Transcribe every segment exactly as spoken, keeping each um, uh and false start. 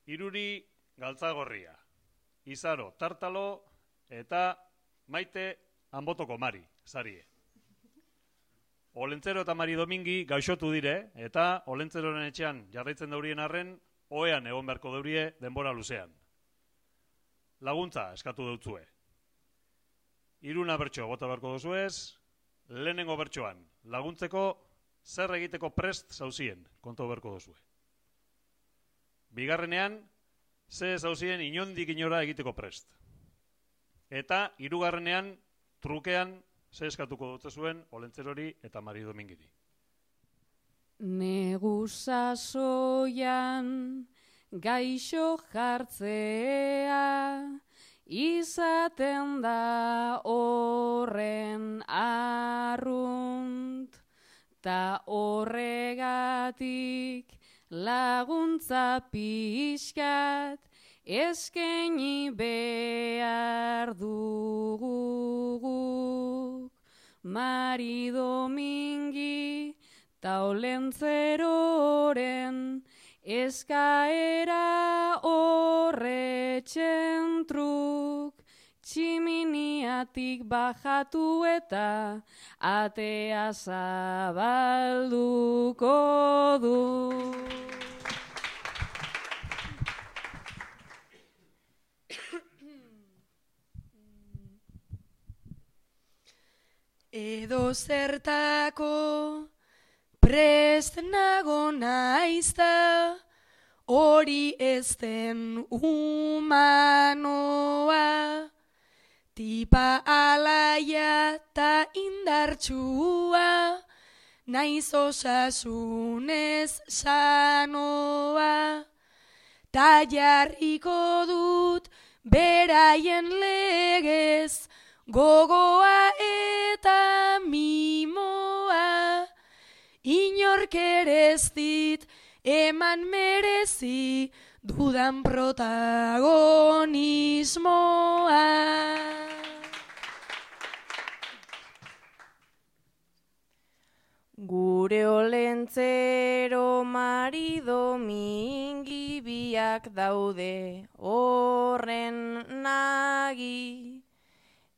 Iruri Galtzagorria, Izaro Tartalo eta Maite Anbotoko Mari, zarie. Olentzero eta Mari Domingi gaixotu dire, eta Olentzeroren etxean jarraitzen daurien arren, oean egon beharko daurie denbora luzean. Laguntza eskatu dutzue. Iruna bertso bota beharko duzuez, lehenengo bertsoan laguntzeko zer egiteko prest zauzien, kontu beharko duzue. Bigarrenean, ze zauzien inondik inora egiteko prest. Eta hirugarrenean, trukean, ze eskatuko dutze zuen Olentzerori eta Mari Domingiri. Negu sasoian gaixo jartzea izaten da horren arrunt, ta horregatik laguntza pixkat eskaini behar dugu. Mari Domingi ta Olentzeroren eskaera horretxen truk, tximiniatik bajatu eta atea zabalduko du. Edo zertako prest nago naizta, hori ez den humanoa, tipa alaia ta indartsua, naiz osasunez sanoa, ta jarriko dut beraien legez, gogoa eta mimoa, inork ere ez dit eman merezi dudan protagonismoa. Gure Olentzero Mari Domingi biak daude horren nagi,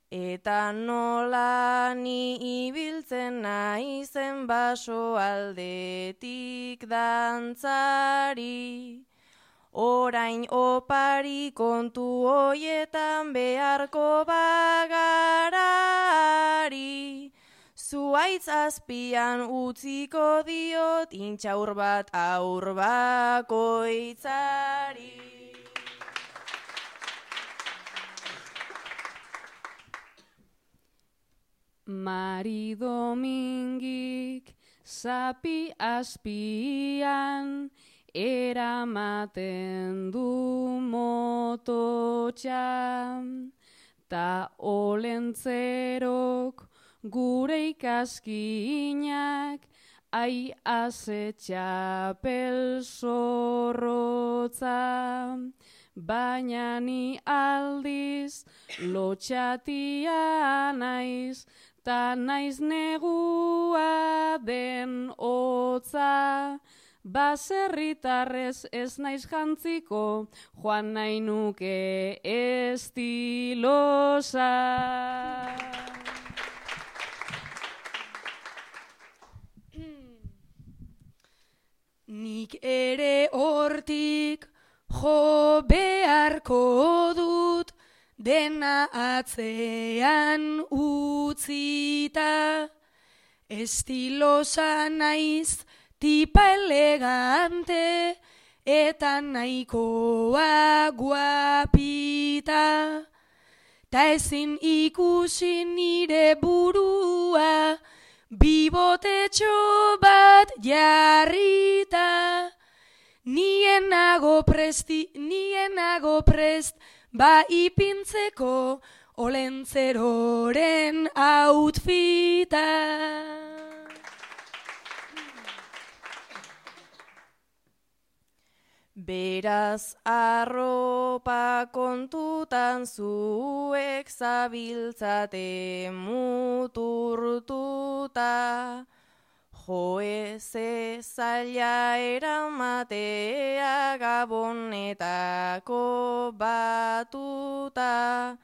eta nola ni ibiltzen naizen baso aldetik dantzari. Orain opari kontu hoietan beharko bagarari. Zuaitz azpian utziko diot intxaur bat aur bakoitzari. Mari Domingik zapi azpian eramaten du mototxan, ta Olentzerok gure ikaskinak ai azetxapel zorrotza, baina ni aldiz lotxatia naiz, ta naiz negua den hotza, baserritarrez ez naiz jantziko, joan nahi nuke estilosa. Nik ere hortik jo beharko dut, dena atzean utzita. Estilosa naiz, tipa elegante, eta nahikoa guapita. Ta ezin ikusi nire burua, bibotetxo bat jarrita. Nien nago presti, nien nago prest, ba ipintzeko Olentzeroren outfita. Beraz arropa kontutan zuek zabiltzate muturtuta, joe ze zaila eramatea gabonetako batuta.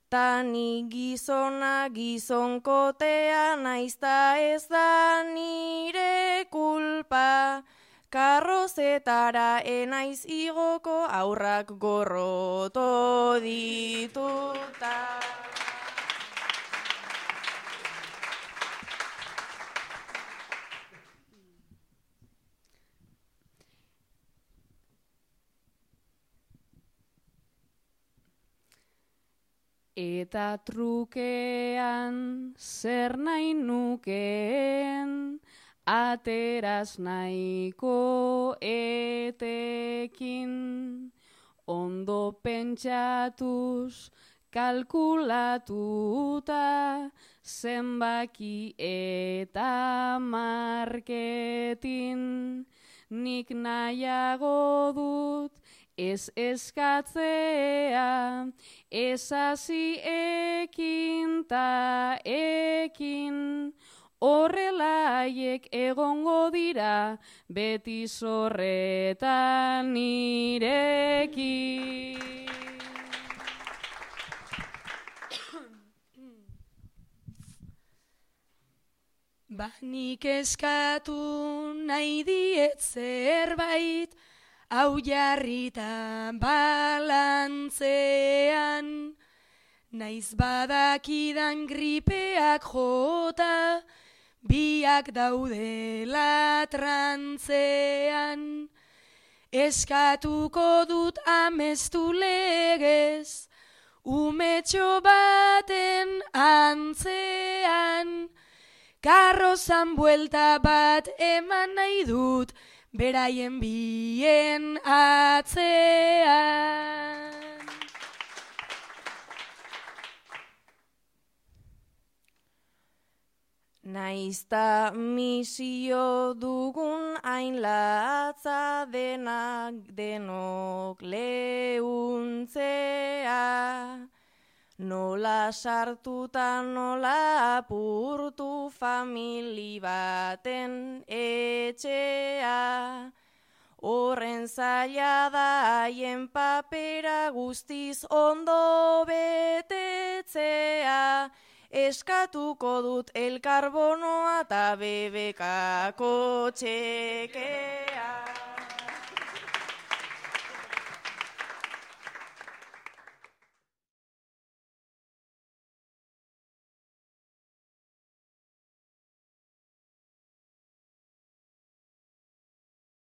Tani gizona gizonkotea naizta ez da nire kulpa. Karrozetara enaiz igoko aurrak gorroto dituta. Eta trukean zer nahi nukeen, ateraz nahiko etekin, ondo pentsatuz, kalkulatuta, zenbaki eta marketin, nik nahiago dut, ez eskatzea, ez hasi ekin ta ekin, horrela haiek egongo dira, beti zorretan nirekin. Ba nik eskatu nahi diet zerbait, hau jarrita balantzean, naiz badakidan gripeak jota, biak daudela trantzean. Eskatuko dut amestu legez, umetxo baten antzean, karrozan buelta bat eman nahi dut, beraien bien atzean. Naizta misio dugun hain latza denak denok leuntzea, nola sartuta nola apurtu famili baten etxea. Horren zaila da haien papera guztiz ondo betetzea, eskatuko dut elkarbonoa eta bebekako txekea.